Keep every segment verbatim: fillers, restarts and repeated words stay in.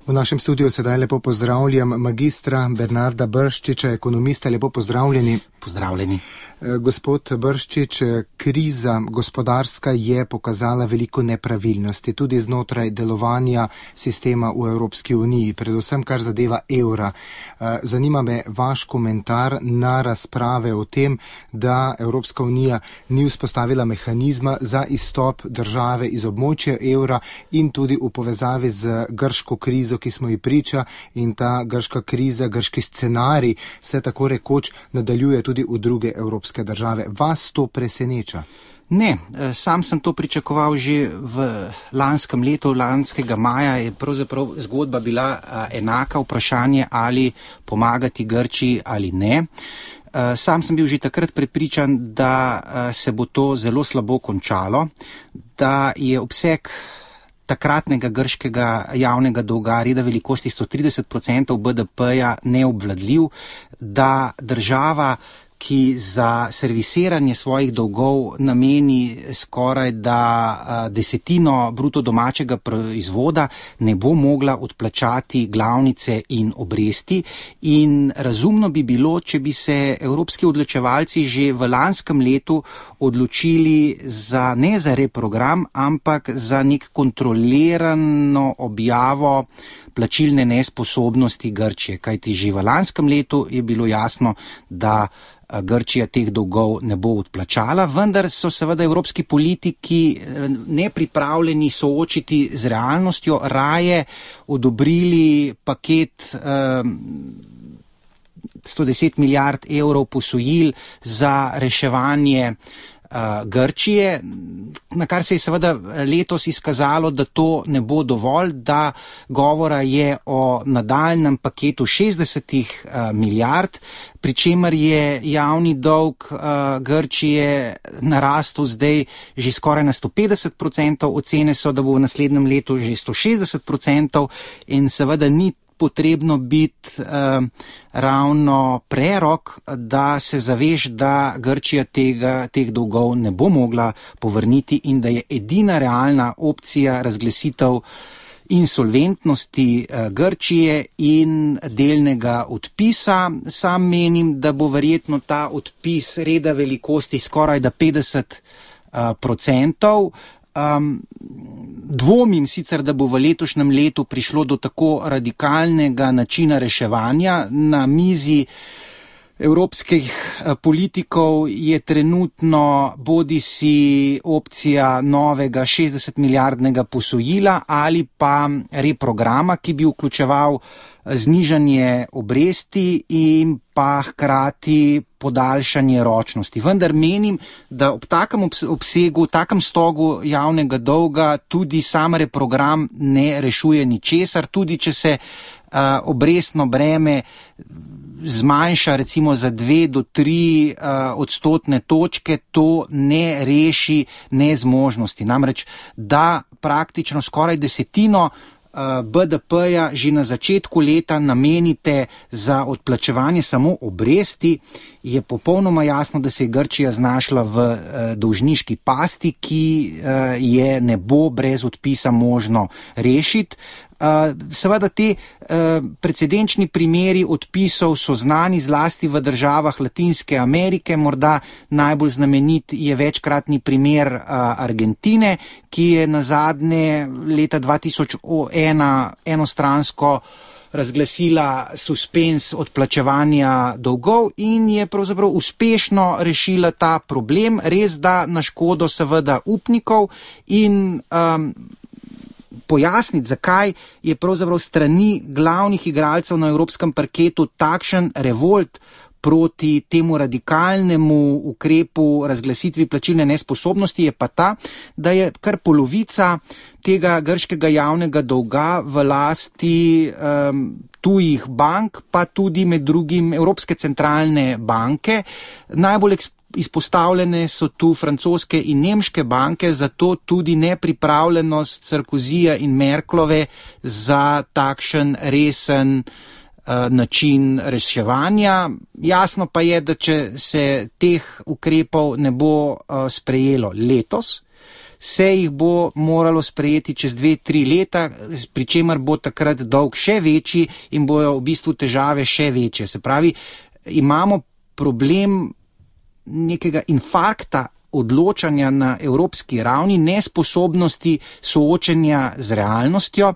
V našem studiu sedaj lepo pozdravljam magistra Bernarda Brščiča, ekonomista. Lepo pozdravljeni. Pozdravljeni. Gospod Brščič, kriza gospodarska je pokazala veliko nepravilnosti tudi znotraj delovanja sistema v Evropski uniji, predvsem kar zadeva evra. Zanima me vaš komentar na razprave o tem, da Evropska unija ni vzpostavila mehanizma za izstop države iz območja evra in tudi v povezavi z grško krizo, ki smo ji priča, in ta grška kriza, grški scenarij se tako rekoč nadaljuje tudi v druge evropske države. Vas to preseneča? Ne, sam sem to pričakoval že v lanskem letu, lanskega maja je pravzaprav zgodba bila enaka, vprašanje ali pomagati Grčiji ali ne. Sam sem bil že takrat prepričan, da se bo to zelo slabo končalo, da je obseg takratnega grškega javnega dolga reda velikosti sto trideset procentov B D P-ja neobvladljiv, da država, ki za servisiranje svojih dolgov nameni skoraj da desetino bruto domačega proizvoda, ne bo mogla odplačati glavnice in obresti. In razumno bi bilo, če bi se evropski odločevalci že v lanskem letu odločili za ne za reprogram, ampak za nek kontrolirano objavo plačilne nesposobnosti Grčije, kajti že v lanskem letu je bilo jasno, da Grčija teh dolgov ne bo odplačala, vendar so seveda evropski politiki nepripravljeni soočiti z realnostjo, raje odobrili paket eh, sto deset milijard evrov posojil za reševanje Grčije, na kar se je seveda letos izkazalo, da to ne bo dovolj, da govora je o nadaljnjem paketu šestdesetih milijard, pri čemer je javni dolg Grčije narastel zdaj že skoraj na sto petdeset procentov, ocene so, da bo v naslednjem letu že sto šestdeset procentov in seveda ni potrebno biti eh, ravno prerok, da se zaveš, da Grčija tega, teh dolgov ne bo mogla povrniti in da je edina realna opcija razglasitev insolventnosti eh, Grčije in delnega odpisa. Sam menim, da bo verjetno ta odpis reda velikosti skoraj da petdeset procentov. Um, dvomim sicer, da bo v letošnjem letu prišlo do tako radikalnega načina reševanja. Na mizi evropskih politikov je trenutno bodisi opcija novega šestdeset milijardnega posojila ali pa reprograma, ki bi vključeval znižanje obresti in pa hkrati podaljšanje ročnosti. Vendar menim, da ob takem obsegu, takem stogu javnega dolga tudi sam reprogram ne rešuje ničesar, tudi če se uh, obrestno breme zmanjša recimo za dve do tri uh, odstotne točke, to ne reši nezmožnosti. Namreč, da praktično skoraj desetino B D P-ja že na začetku leta namenite za odplačevanje samo obresti, je popolnoma jasno, da se je Grčija znašla v uh, dolžniški pasti, ki uh, je ne bo brez odpisa možno rešiti. Uh, seveda te uh, precedenčni primeri odpisov so znani zlasti v državah Latinske Amerike, morda najbolj znamenit je večkratni primer uh, Argentine, ki je nazadnje leta dva tisoč ena enostransko razglasila suspens odplačevanja dolgov in je pravzaprav uspešno rešila ta problem, res da na škodo seveda upnikov in um, pojasniti, zakaj je pravzaprav strani glavnih igralcev na evropskem parketu takšen revolt proti temu radikalnemu ukrepu razglasitvi plačilne nesposobnosti, je pa ta, da je kar polovica tega grškega javnega dolga v lasti um, tujih bank, pa tudi med drugim Evropske centralne banke. Najbolj eksp- Izpostavljene so tu francoske in nemške banke, zato tudi nepripravljenost Sarkozija in Merklove za takšen resen uh, način reševanja. Jasno pa je, da če se teh ukrepov ne bo uh, sprejelo letos, se jih bo moralo sprejeti čez dve, tri leta, pri čemer bo takrat dolg še večji in bojo v bistvu težave še večje. Se pravi, imamo problem nekega infarkta odločanja na evropski ravni, nesposobnosti soočenja z realnostjo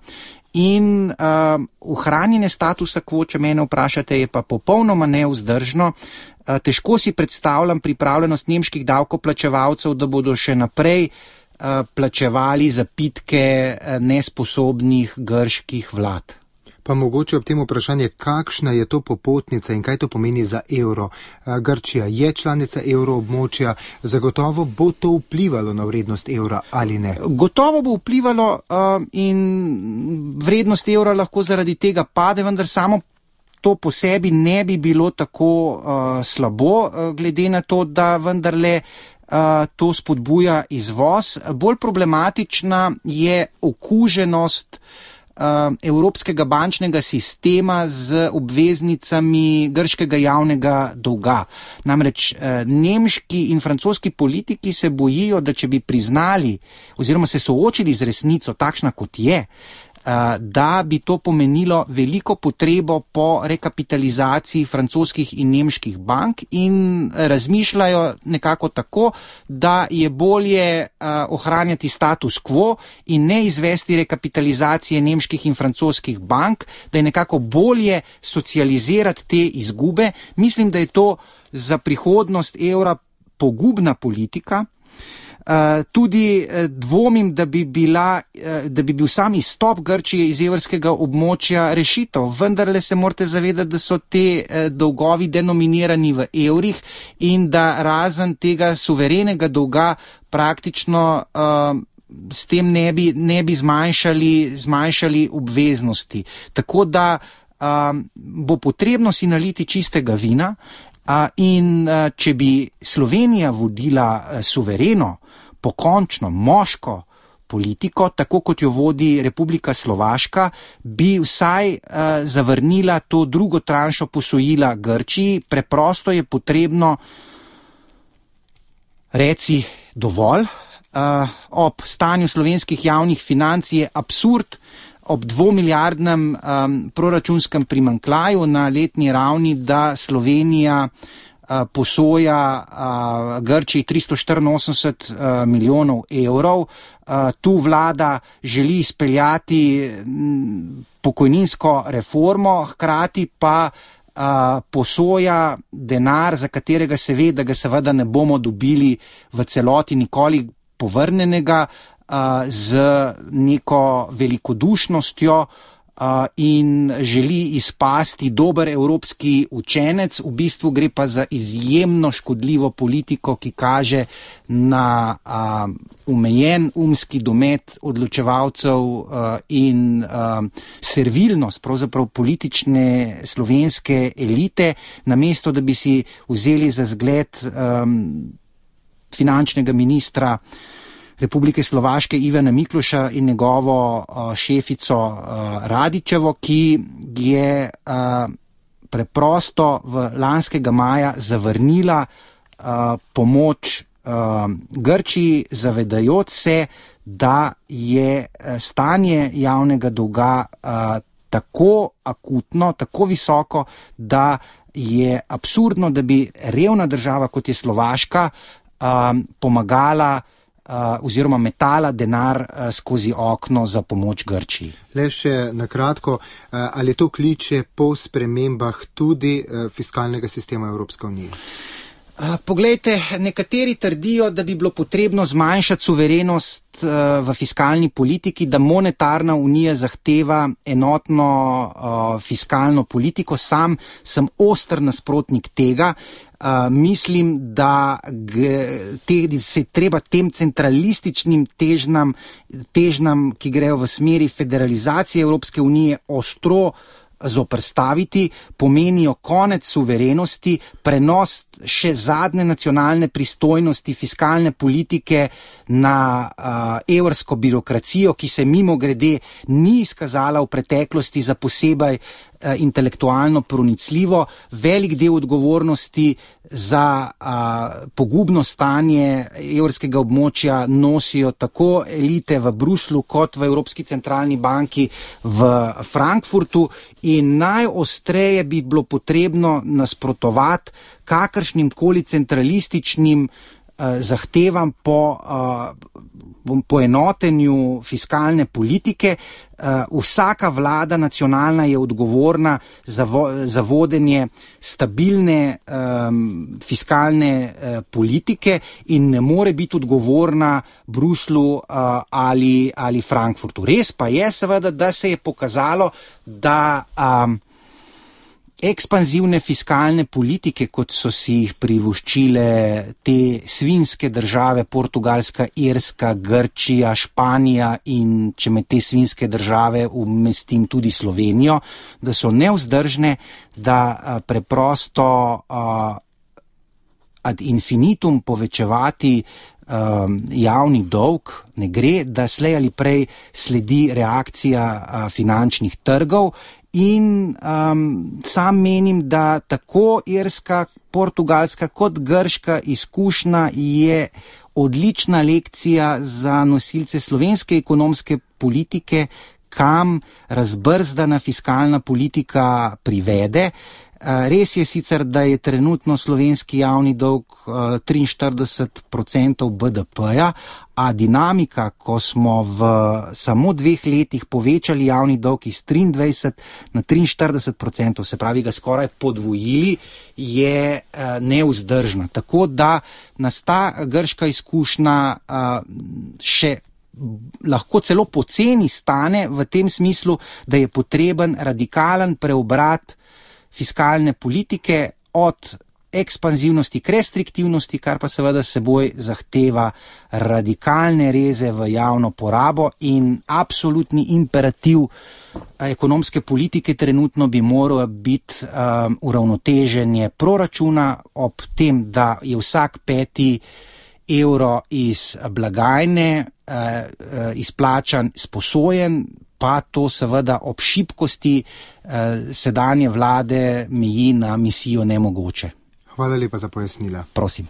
in uh, ohranjene statusa quo, če mene vprašate, je pa popolnoma nevzdržno. Uh, težko si predstavljam pripravljenost nemških davkoplačevalcev, da bodo še naprej uh, plačevali zapitke uh, nesposobnih grških vlad. Pa mogoče ob tem vprašanje, kakšna je to popotnica in kaj to pomeni za evro. Grčija je članica evroobmočja, zagotovo bo to vplivalo na vrednost evra ali ne? Gotovo bo vplivalo uh, in vrednost evra lahko zaradi tega pade, vendar samo to po sebi ne bi bilo tako uh, slabo, uh, glede na to, da vendarle uh, to spodbuja izvoz. Bolj problematična je okuženost evropskega bančnega sistema z obveznicami grškega javnega dolga. Namreč nemški in francoski politiki se bojijo, da če bi priznali oziroma se soočili z resnico takšna kot je, da bi to pomenilo veliko potrebo po rekapitalizaciji francoskih in nemških bank in razmišljajo nekako tako, da je bolje ohranjati status quo in ne izvesti rekapitalizacije nemških in francoskih bank, da je nekako bolje socializirati te izgube. Mislim, da je to za prihodnost evra pogubna politika. Uh, tudi uh, dvomim, da bi, bila, uh, da bi bil sam izstop Grčije iz evrskega območja rešitev. Vendarle se morate zavedati, da so te uh, dolgovi denominirani v evrih in da razen tega suverenega dolga praktično uh, s tem ne bi, ne bi zmanjšali, zmanjšali obveznosti. Tako da uh, bo potrebno si naliti čistega vina. Uh, in uh, če bi Slovenija vodila uh, suvereno, pokončno, moško politiko, tako kot jo vodi Republika Slovaška, bi vsaj uh, zavrnila to drugo tranšo posojila Grčiji. Preprosto je potrebno reci dovolj. Uh, ob stanju slovenskih javnih financ je absurd, ob dvomilijardnem um, proračunskem primanjkljaju na letni ravni, da Slovenija uh, posoja uh, Grčiji tristo štiriinosemdeset uh, milijonov evrov. Uh, tu vlada želi izpeljati m, pokojninsko reformo, hkrati pa uh, posoja denar, za katerega se ve, da ga seveda ne bomo dobili v celoti nikoli povrnenega, z neko velikodušnostjo in želi izpasti dober evropski učenec. V bistvu gre pa za izjemno škodljivo politiko, ki kaže na omejen umski domet odločevalcev in servilnost pravzaprav politične slovenske elite, namesto da bi si vzeli za zgled finančnega ministra Republike Slovaške Ivana Mikloša in njegovo uh, šefico uh, Radičevo, ki je uh, preprosto v lanskega maja zavrnila uh, pomoč uh, Grčiji, zavedajoč se, da je stanje javnega dolga uh, tako akutno, tako visoko, da je absurdno, da bi revna država, kot je Slovaška, uh, pomagala Uh, oziroma metala denar uh, skozi okno za pomoč Grčiji. Le še na kratko, uh, ali to kliče po spremembah tudi uh, fiskalnega sistema Evropske unije? Uh, poglejte, nekateri trdijo, da bi bilo potrebno zmanjšati suverenost uh, v fiskalni politiki, da monetarna unija zahteva enotno uh, fiskalno politiko. Sam sem oster nasprotnik tega. Uh, mislim, da g, te, se treba tem centralističnim težnam, težnam, ki grejo v smeri federalizacije Evropske unije, ostro uh, zoperstaviti, pomenijo konec suverenosti, prenos še zadnje nacionalne pristojnosti fiskalne politike na uh, evrsko birokracijo, ki se mimo grede ni izkazala v preteklosti za posebej uh, intelektualno pronicljivo. Velik del odgovornosti za uh, pogubno stanje evrskega območja nosijo tako elite v Bruslu kot v Evropski centralni banki v Frankfurtu in najostreje bi bilo potrebno nasprotovati kakršnim koli centralističnim uh, zahtevam po uh, poenotenju fiskalne politike. Uh, vsaka vlada nacionalna je odgovorna za, vo, za vodenje stabilne um, fiskalne uh, politike in ne more biti odgovorna Bruslu uh, ali, ali Frankfurtu. Res pa je seveda, da se je pokazalo, da um, ekspanzivne fiskalne politike, kot so si jih privoščile te svinjske države, Portugalska, Irska, Grčija, Španija in če med te svinjske države umestim tudi Slovenijo, da so nevzdržne, da a, preprosto a, ad infinitum povečevati a, javni dolg ne gre, da slej ali prej sledi reakcija a, finančnih trgov. In um, sam menim, da tako irska, portugalska kot grška izkušnja je odlična lekcija za nosilce slovenske ekonomske politike, kam razbrzdana fiskalna politika privede. Res je sicer, da je trenutno slovenski javni dolg triinštirideset procentov B D P-ja, a dinamika, ko smo v samo dveh letih povečali javni dolg iz triindvajset na triinštirideset procentov, se pravi ga skoraj podvojili, je nevzdržna. Tako da nas ta grška izkušnja še lahko celo poceni stane v tem smislu, da je potreben radikalen preobrat fiskalne politike od ekspanzivnosti k restriktivnosti, kar pa seveda seboj zahteva radikalne reze v javno porabo in absolutni imperativ ekonomske politike trenutno bi moral biti um, uravnoteženje proračuna ob tem, da je vsak peti evro iz blagajne uh, uh, izplačan, sposojen, pa to seveda ob šibkosti eh, sedanje vlade meji na misijo nemogoče. Hvala lepa za pojasnila. Prosim.